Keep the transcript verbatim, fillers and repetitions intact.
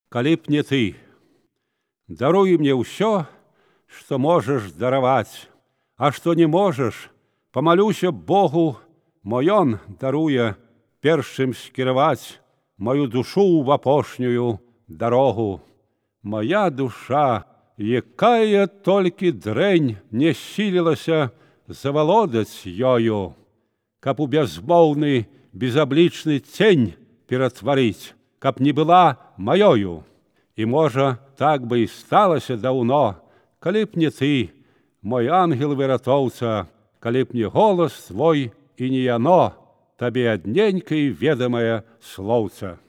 калі б не ты. Даруй мне ўсё, што можаш дараваць, а што не можаш, памалюся Богу, мо ён даруе першым скіраваць мою душу ў апошнюю дарогу. Моя душа, якая толькі дрэнь не сілілася завалодаць ёю, каб у бязмоўны безаблічны цень ператварыць, каб не была маёю. І, можа, так бы і сталася даўно, калі б не ты, мой ангел-выратоўца, калі б не голас твой і не яно, табе адненькае ведамае слоўца.